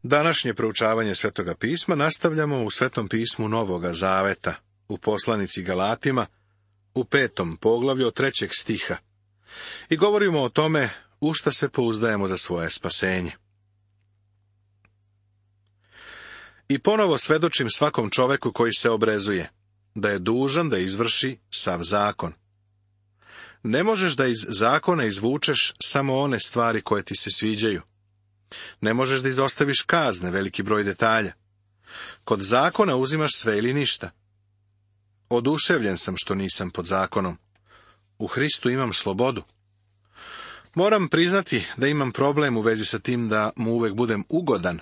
Današnje proučavanje Svetoga pisma nastavljamo u Svetom pismu Novoga Zaveta, u poslanici Galatima, u 5. poglavlju od 3. stiha. I govorimo o tome u šta se pouzdajemo za svoje spasenje. I ponovo svedočim svakom čoveku koji se obrezuje, da je dužan da izvrši sav zakon. Ne možeš da iz zakona izvučeš samo one stvari koje ti se sviđaju. Ne možeš da izostaviš kazne, veliki broj detalja. Kod zakona uzimaš sve ili ništa. Oduševljen sam što nisam pod zakonom. U Hristu imam slobodu. Moram priznati da imam problem u vezi sa tim da mu uvek budem ugodan,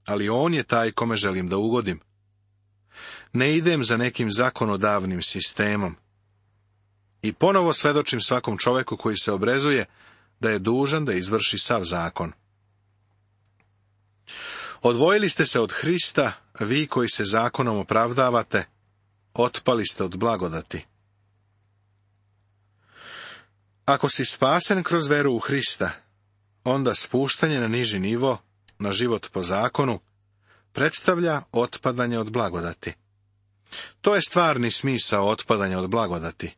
ali on je taj kome želim da ugodim. Ne idem za nekim zakonodavnim sistemom. I ponovo svedočim svakom čoveku koji se obrezuje da je dužan da izvrši sav zakon. Odvojili ste se od Hrista, vi koji se zakonom opravdavate, otpali ste od blagodati. Ako si spasen kroz veru u Hrista, onda spuštanje na niži nivo, na život po zakonu, predstavlja otpadanje od blagodati. To je stvarni smisao otpadanja od blagodati.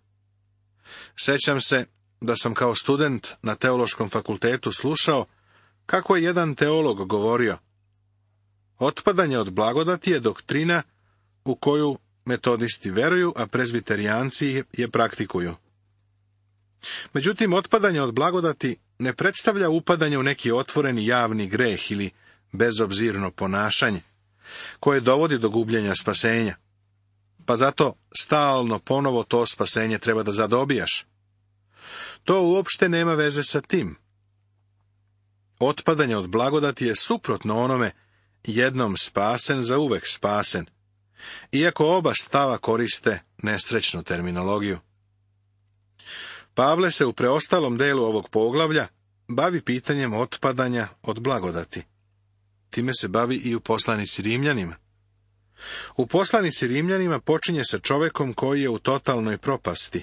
Sećam se da sam kao student na teološkom fakultetu slušao kako je jedan teolog govorio: otpadanje od blagodati je doktrina u koju metodisti veruju, a prezbiterijanci je praktikuju. Međutim, otpadanje od blagodati ne predstavlja upadanje u neki otvoreni javni greh ili bezobzirno ponašanje, koje dovodi do gubljenja spasenja. Pa zato stalno ponovo to spasenje treba da zadobijaš. To uopšte nema veze sa tim. Otpadanje od blagodati je suprotno onome jednom spasen, za uvek spasen, iako oba stava koriste nesrećnu terminologiju. Pavle se u preostalom delu ovog poglavlja bavi pitanjem otpadanja od blagodati. Time se bavi i u poslanici Rimljanima. U poslanici Rimljanima počinje sa čovekom koji je u totalnoj propasti,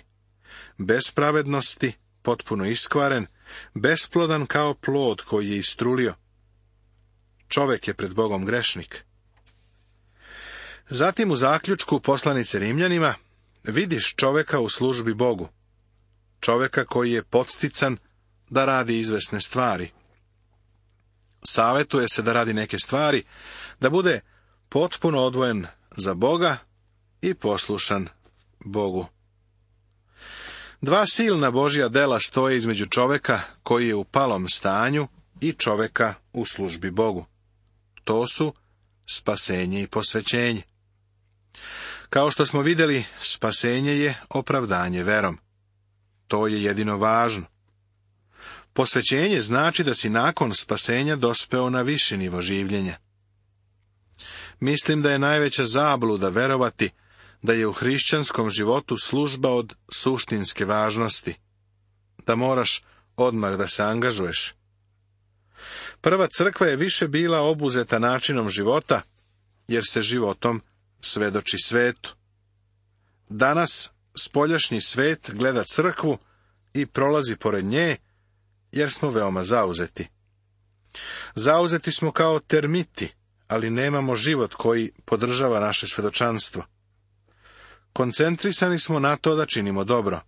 bez pravednosti, potpuno iskvaren, besplodan kao plod koji je istrulio. Čovek je pred Bogom grešnik. Zatim u zaključku poslanice Rimljanima vidiš čoveka u službi Bogu. Čoveka koji je podstican da radi izvesne stvari. Savetuje se da radi neke stvari, da bude potpuno odvojen za Boga i poslušan Bogu. Dva silna Božja dela stoje između čoveka koji je u palom stanju i čoveka u službi Bogu. To su spasenje i posvećenje. Kao što smo vidjeli, spasenje je opravdanje verom. To je jedino važno. Posvećenje znači da si nakon spasenja dospeo na viši nivo življenja. Mislim da je najveća zabluda verovati da je u hrišćanskom životu služba od suštinske važnosti, da moraš odmah da se angažuješ. Prva crkva je više bila obuzeta načinom života, jer se životom svedoči svetu. Danas spoljašnji svet gleda crkvu i prolazi pored nje, jer smo veoma zauzeti. Zauzeti smo kao termiti, ali nemamo život koji podržava naše svedočanstvo. Koncentrisani smo na to da činimo dobro.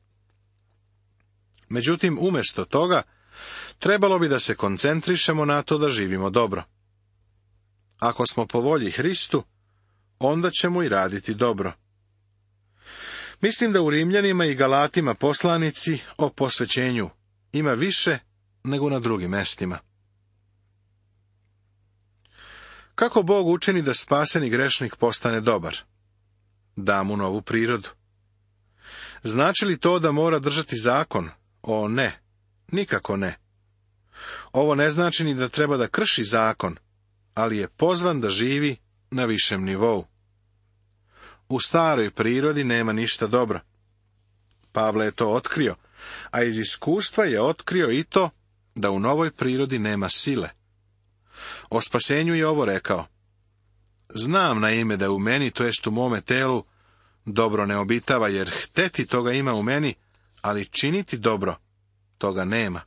Međutim, umjesto toga, trebalo bi da se koncentrišemo na to da živimo dobro. Ako smo po volji Hristu, onda ćemo i raditi dobro. Mislim da u Rimljanima i Galatima poslanici o posvećenju ima više nego na drugim mestima. Kako Bog učini da spaseni grešnik postane dobar? Da mu novu prirodu. Znači li to da mora držati zakon? O ne, nikako ne. Ovo ne znači ni da treba da krši zakon, ali je pozvan da živi na višem nivou. U staroj prirodi nema ništa dobro. Pavle je to otkrio, a iz iskustva je otkrio i to da u novoj prirodi nema sile. O spasenju je ovo rekao: znam na ime da u meni, to jest u mome telu, dobro ne obitava, jer hteti toga ima u meni, ali činiti dobro toga nema.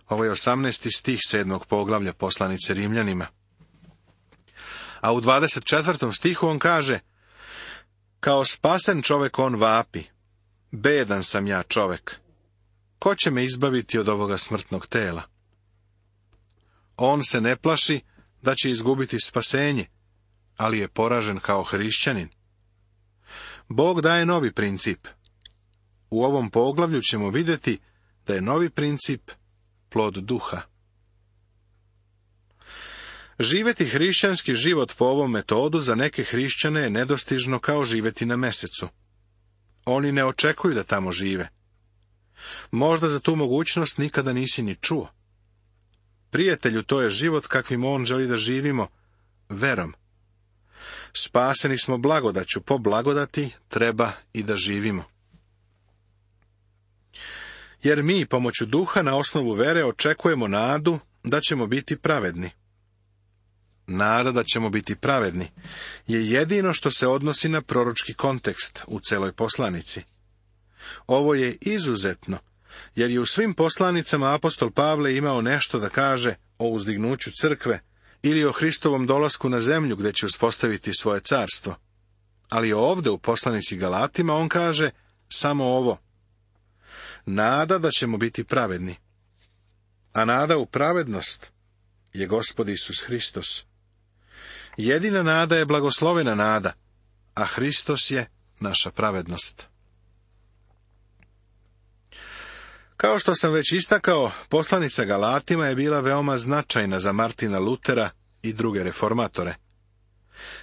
Ovo je 18. stih 7. poglavlja poslanice Rimljanima. A u 24. stihu on kaže: kao spasen čovek on vapi, bedan sam ja čovek, ko će me izbaviti od ovoga smrtnog tela? On se ne plaši da će izgubiti spasenje, ali je poražen kao hrišćanin. Bog daje novi princip. U ovom poglavlju ćemo vidjeti da je novi princip plod duha. Živjeti hrišćanski život po ovom metodu za neke hrišćane je nedostižno kao živjeti na mesecu. Oni ne očekuju da tamo žive. Možda za tu mogućnost nikada nisi ni čuo. Prijatelju, to je život kakvim on želi da živimo, verom. Spaseni smo blagodaću, po blagodati treba i da živimo. Jer mi, pomoću duha, na osnovu vere očekujemo nadu da ćemo biti pravedni. Nada da ćemo biti pravedni je jedino što se odnosi na proročki kontekst u celoj poslanici. Ovo je izuzetno, jer je u svim poslanicama apostol Pavle imao nešto da kaže o uzdignuću crkve ili o Hristovom dolasku na zemlju gdje će uspostaviti svoje carstvo. Ali ovdje u poslanici Galatima on kaže samo ovo: nada da ćemo biti pravedni. A nada u pravednost je Gospod Isus Hristos. Jedina nada je blagoslovena nada, a Hristos je naša pravednost. Kao što sam već istakao, poslanica Galatima je bila veoma značajna za Martina Lutera i druge reformatore.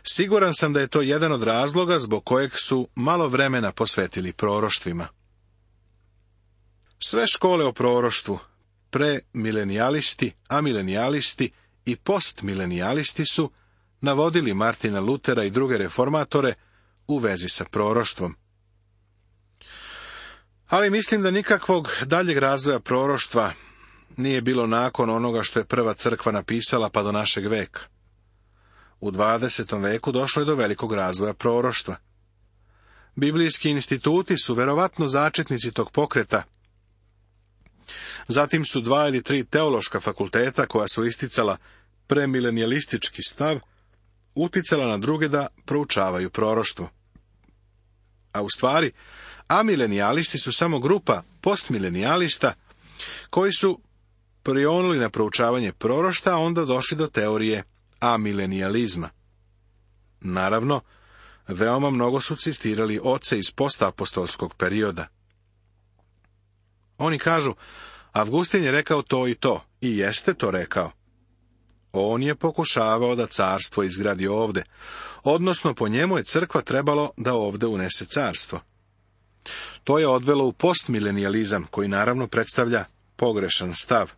Siguran sam da je to jedan od razloga zbog kojeg su malo vremena posvetili proroštvima. Sve škole o proroštvu, premilenijalisti, amilenijalisti i postmilenijalisti su navodili Martina Lutera i druge reformatore u vezi sa proroštvom. Ali mislim da nikakvog daljeg razvoja proroštva nije bilo nakon onoga što je prva crkva napisala pa do našeg veka. U 20. veku došlo je do velikog razvoja proroštva. Biblijski instituti su verovatno začetnici tog pokreta. Zatim su 2 ili 3 teološka fakulteta koja su isticala premilenijalistički stav, uticala na druge da proučavaju proroštvo. A u stvari, amilenijalisti su samo grupa postmilenijalista koji su prionuli na proučavanje prorošta, a onda došli do teorije amilenijalizma. Naravno, veoma mnogo su citirali oce iz postapostolskog perioda. Oni kažu: Avgustin je rekao to i jeste to rekao. On je pokušavao da carstvo izgradi ovde, odnosno po njemu je crkva trebalo da ovde unese carstvo. To je odvelo u postmilenijalizam, koji naravno predstavlja pogrešan stav.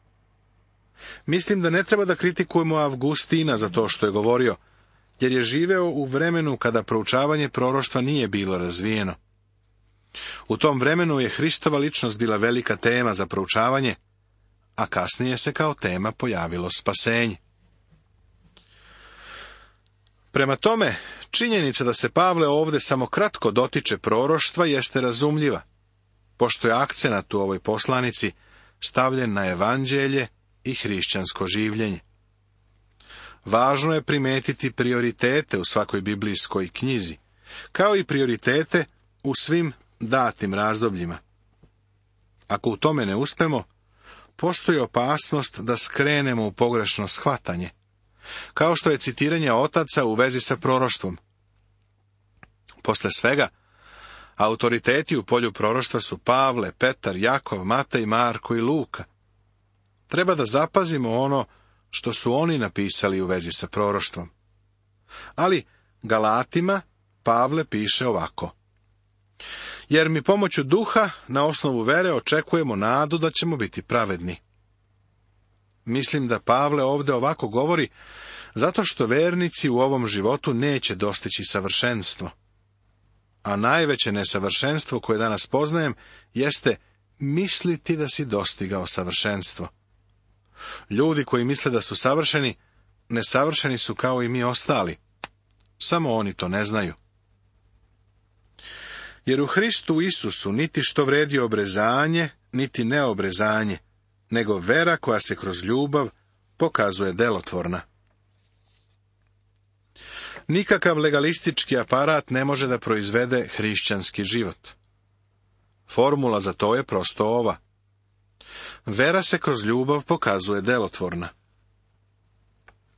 Mislim da ne treba da kritikujemo Avgustina za to što je govorio, jer je živeo u vremenu kada proučavanje proroštva nije bilo razvijeno. U tom vremenu je Hristova ličnost bila velika tema za proučavanje, a kasnije se kao tema pojavilo spasenje. Prema tome, činjenica da se Pavle ovdje samo kratko dotiče proroštva jeste razumljiva, pošto je akcenat u ovoj poslanici stavljen na evanđelje i hrišćansko življenje. Važno je primetiti prioritete u svakoj biblijskoj knjizi, kao i prioritete u svim datim razdobljima. Ako u tome ne uspemo, postoji opasnost da skrenemo u pogrešno shvatanje, kao što je citiranje otaca u vezi sa proroštvom. Posle svega, autoriteti u polju proroštva su Pavle, Petar, Jakov, Matej, Marko i Luka. Treba da zapazimo ono što su oni napisali u vezi sa proroštvom. Ali Galatima Pavle piše ovako: jer mi pomoću duha na osnovu vere očekujemo nadu da ćemo biti pravedni. Mislim da Pavle ovdje ovako govori zato što vernici u ovom životu neće dostići savršenstvo. A najveće nesavršenstvo koje danas poznajem jeste misliti da si dostigao savršenstvo. Ljudi koji misle da su savršeni, nesavršeni su kao i mi ostali. Samo oni to ne znaju. Jer u Hristu Isusu niti što vredi obrezanje, niti neobrezanje, nego vera koja se kroz ljubav pokazuje delotvorna. Nikakav legalistički aparat ne može da proizvede hrišćanski život. Formula za to je prosto ova. Vera se kroz ljubav pokazuje delotvorna.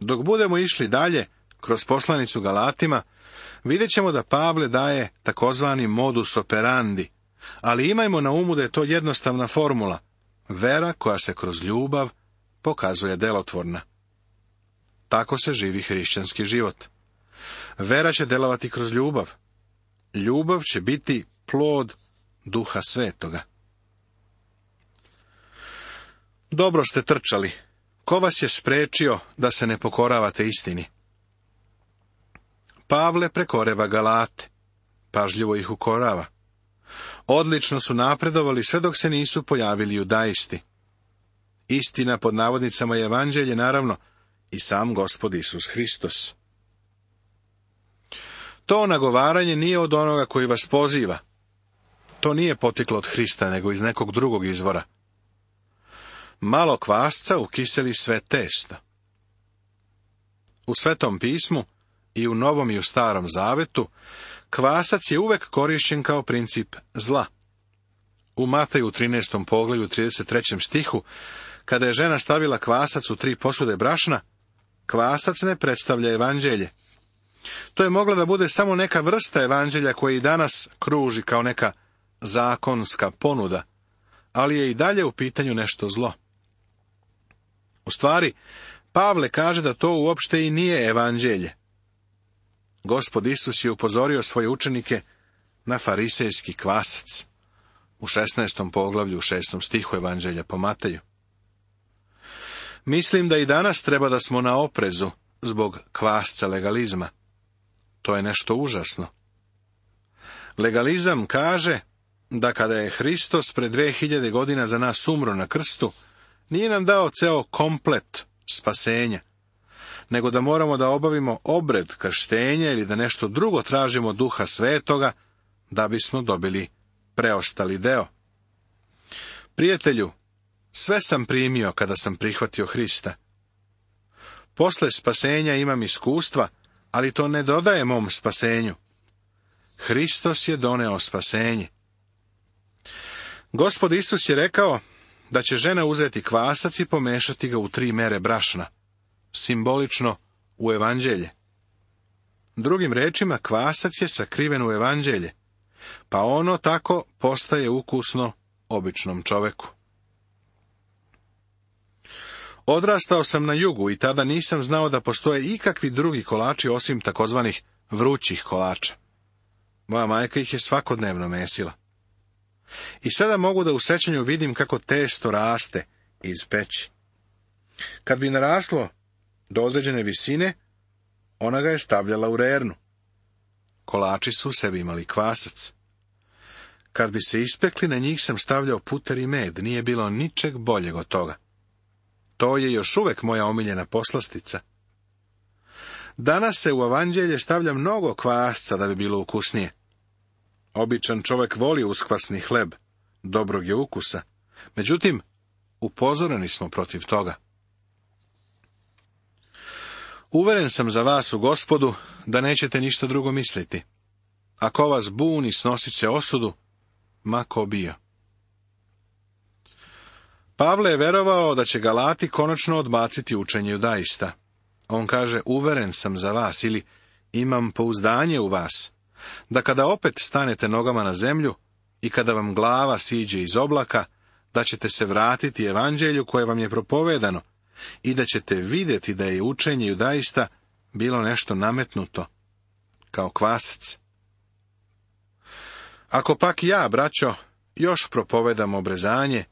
Dok budemo išli dalje, kroz poslanicu Galatima, vidjet ćemo da Pavle daje takozvani modus operandi, ali imajmo na umu da je to jednostavna formula. Vera koja se kroz ljubav pokazuje delotvorna. Tako se živi hrišćanski život. Vera će delovati kroz ljubav. Ljubav će biti plod Duha Svetoga. Dobro ste trčali. Ko vas je spriječio da se ne pokoravate istini? Pavle prekoreva Galate. Pažljivo ih ukorava. Odlično su napredovali sve dok se nisu pojavili judaisti. Istina pod navodnicama je evanđelje, naravno, i sam Gospod Isus Hristos. To nagovaranje nije od onoga koji vas poziva. To nije potiklo od Hrista, nego iz nekog drugog izvora. Malo kvasca ukiseli sve testo. U Svetom pismu, i u Novom i u Starom Zavetu, kvasac je uvek korišćen kao princip zla. U Mateju 13. poglavlju 33. stihu, kada je žena stavila kvasac u 3 posude brašna, kvasac ne predstavlja evanđelje. To je mogla da bude samo neka vrsta evanđelja koja i danas kruži kao neka zakonska ponuda, ali je i dalje u pitanju nešto zlo. U stvari, Pavle kaže da to uopšte i nije evanđelje. Gospod Isus je upozorio svoje učenike na farisejski kvasac u 16. poglavlju u 6. stihu evanđelja po Mateju. Mislim da i danas treba da smo na oprezu zbog kvasca legalizma. To je nešto užasno. Legalizam kaže da kada je Hristos pred 2000 godina za nas umro na krstu, nije nam dao ceo komplet spasenja, nego da moramo da obavimo obred krštenja ili da nešto drugo tražimo Duha Svetoga da bismo dobili preostali deo. Prijatelju, sve sam primio kada sam prihvatio Hrista. Posle spasenja imam iskustva, ali to ne dodaje mom spasenju. Hristos je doneo spasenje. Gospod Isus je rekao da će žena uzeti kvasac i pomešati ga u 3 mere brašna, simbolično u evanđelje. Drugim rečima, kvasac je sakriven u evanđelje, pa ono tako postaje ukusno običnom čoveku. Odrastao sam na jugu i tada nisam znao da postoje ikakvi drugi kolači osim takozvanih vrućih kolača. Moja majka ih je svakodnevno mesila. I sada mogu da u sećanju vidim kako testo raste iz peći. Kad bi naraslo do određene visine, ona ga je stavljala u rernu. Kolači su u sebi imali kvasac. Kad bi se ispekli, na njih sam stavljao puter i med, nije bilo ničeg boljeg od toga. To je još uvek moja omiljena poslastica. Danas se u evanđelje stavlja mnogo kvasca da bi bilo ukusnije. Običan čovek voli uskvasni hleb, dobrog je ukusa. Međutim, upozoreni smo protiv toga. Uveren sam za vas u Gospodu da nećete ništa drugo misliti. Ako vas buni, snosit će osudu, ma ko bio. Pavle je verovao da će Galati konačno odbaciti učenje judaista. On kaže, uveren sam za vas, ili imam pouzdanje u vas, da kada opet stanete nogama na zemlju i kada vam glava siđe iz oblaka, da ćete se vratiti evanđelju koje vam je propovedano i da ćete vidjeti da je učenje judaista bilo nešto nametnuto, kao kvasac. Ako pak ja, braćo, još propovedam obrezanje,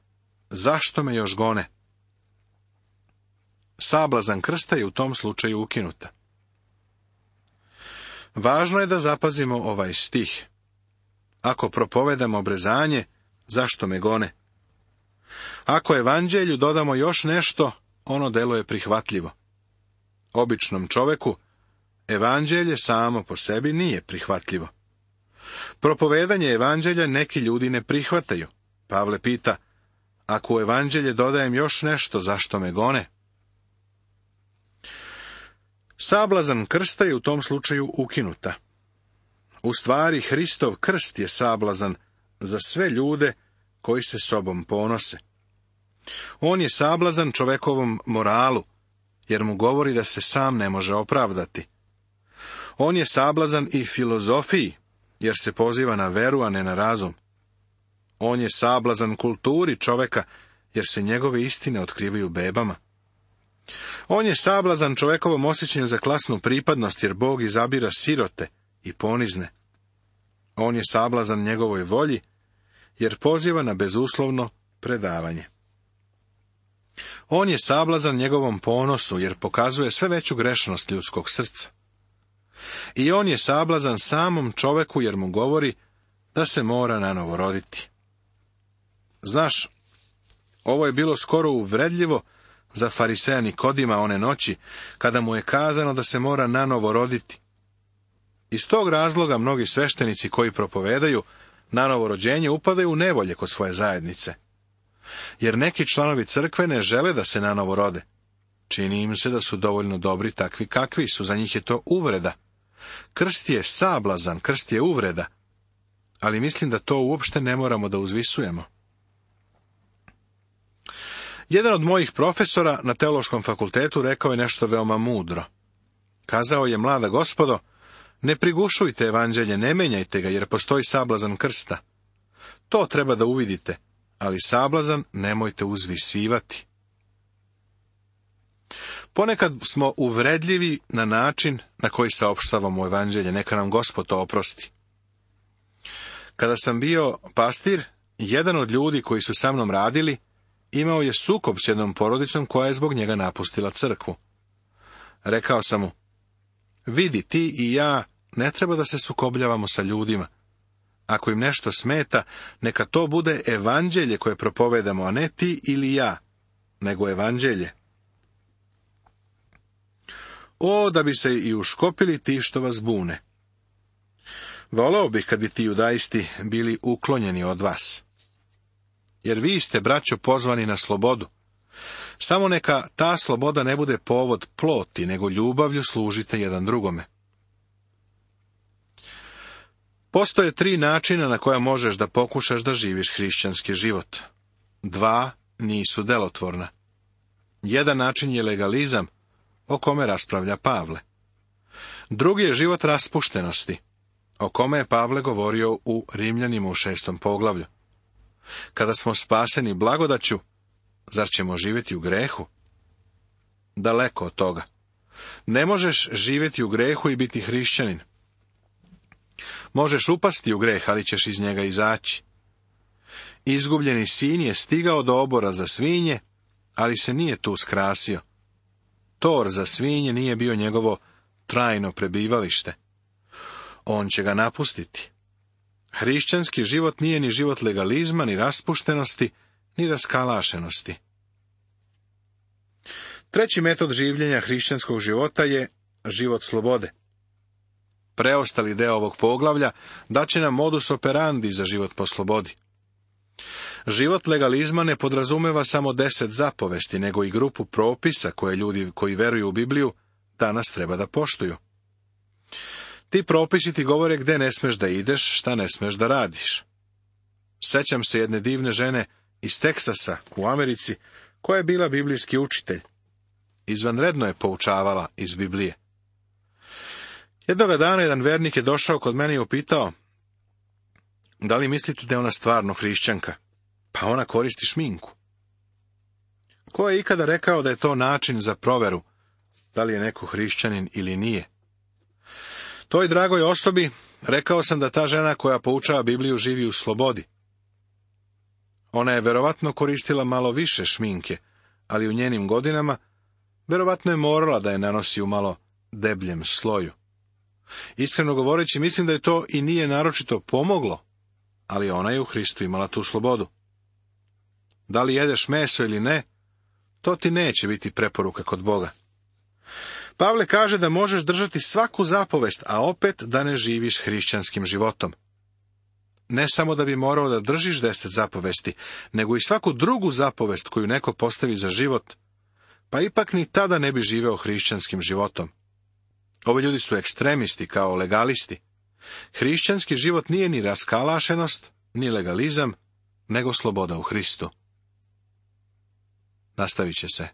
zašto me još gone? Sablazan krsta je u tom slučaju ukinuta. Važno je da zapazimo ovaj stih. Ako propovedam obrezanje, zašto me gone? Ako evanđelju dodamo još nešto, ono deluje prihvatljivo. Običnom čoveku evanđelje samo po sebi nije prihvatljivo. Propovedanje evanđelja neki ljudi ne prihvataju. Pavle pita, ako u evanđelje dodajem još nešto, zašto me gone? Sablazan krsta je u tom slučaju ukinuta. U stvari, Hristov krst je sablazan za sve ljude koji se sobom ponose. On je sablazan čovekovom moralu, jer mu govori da se sam ne može opravdati. On je sablazan i filozofiji, jer se poziva na veru, a ne na razum. On je sablazan kulturi čoveka, jer se njegove istine otkrivaju bebama. On je sablazan čovekovom osjećanju za klasnu pripadnost, jer Bog izabira sirote i ponizne. On je sablazan njegovoj volji, jer poziva na bezuslovno predavanje. On je sablazan njegovom ponosu, jer pokazuje sve veću grešnost ljudskog srca. I on je sablazan samom čoveku, jer mu govori da se mora nanovo roditi. Znaš, ovo je bilo skoro uvredljivo za fariseja Nikodima one noći, kada mu je kazano da se mora nanovo roditi. Iz tog razloga mnogi sveštenici koji propovedaju nanovo rođenje upadaju u nevolje kod svoje zajednice. Jer neki članovi crkve ne žele da se nanovo rode. Čini im se da su dovoljno dobri takvi kakvi su, za njih je to uvreda. Krst je sablazan, krst je uvreda, ali mislim da to uopšte ne moramo da uzvisujemo. Jedan od mojih profesora na teološkom fakultetu rekao je nešto veoma mudro. Kazao je: mlada gospodo, ne prigušujte evanđelje, ne menjajte ga, jer postoji sablazan krsta. To treba da uvidite, ali sablazan nemojte uzvisivati. Ponekad smo uvredljivi na način na koji saopštavamo evanđelje, neka nam Gospod to oprosti. Kada sam bio pastir, jedan od ljudi koji su sa mnom radili imao je sukob s jednom porodicom koja je zbog njega napustila crkvu. Rekao sam mu: vidi, ti i ja ne treba da se sukobljavamo sa ljudima. Ako im nešto smeta, neka to bude evanđelje koje propovedamo, a ne ti ili ja, nego evanđelje. O, da bi se i uškopili ti što vas bune. Voleo bih kad bi ti judaisti bili uklonjeni od vas. Jer vi ste, braćo, pozvani na slobodu. Samo neka ta sloboda ne bude povod ploti, nego ljubavlju služite jedan drugome. Postoje 3 načina na koja možeš da pokušaš da živiš hrišćanski život. 2 nisu delotvorna. Jedan način je legalizam, o kome raspravlja Pavle. Drugi je život raspuštenosti, o kome je Pavle govorio u Rimljanima u 6. poglavlju. Kada smo spaseni blagodaću, zar ćemo živjeti u grehu? Daleko od toga. Ne možeš živjeti u grehu i biti hrišćanin. Možeš upasti u greh, ali ćeš iz njega izaći. Izgubljeni sin je stigao do obora za svinje, ali se nije tu skrasio. Tor za svinje nije bio njegovo trajno prebivalište. On će ga napustiti. Hrišćanski život nije ni život legalizma, ni raspuštenosti, ni raskalašenosti. Treći metod življenja hrišćanskog života je život slobode. Preostali deo ovog poglavlja daće nam modus operandi za život po slobodi. Život legalizma ne podrazumeva samo 10 zapovesti, nego i grupu propisa koje ljudi koji veruju u Bibliju danas treba da poštuju. Ti propisi ti govore gde ne smeš da ideš, šta ne smeš da radiš. Sećam se jedne divne žene iz Teksasa u Americi, koja je bila biblijski učitelj. Izvanredno je poučavala iz Biblije. Jednoga dana jedan vernik je došao kod mene i upitao: da li mislite da je ona stvarno hrišćanka? Pa ona koristi šminku. Ko je ikada rekao da je to način za proveru, da li je neko hrišćanin ili nije? Toj dragoj osobi rekao sam da ta žena koja poučava Bibliju živi u slobodi. Ona je verovatno koristila malo više šminke, ali u njenim godinama verovatno je morala da je nanosi u malo debljem sloju. Iskreno govoreći, mislim da je to i nije naročito pomoglo, ali ona je u Hristu imala tu slobodu. Da li jedeš meso ili ne, to ti neće biti preporuka kod Boga. Pavle kaže da možeš držati svaku zapovest, a opet da ne živiš hrišćanskim životom. Ne samo da bi morao da držiš 10 zapovesti, nego i svaku drugu zapovest koju neko postavi za život, pa ipak ni tada ne bi živeo hrišćanskim životom. Ovi ljudi su ekstremisti kao legalisti. Hrišćanski život nije ni raskalašenost, ni legalizam, nego sloboda u Hristu. Nastavit će se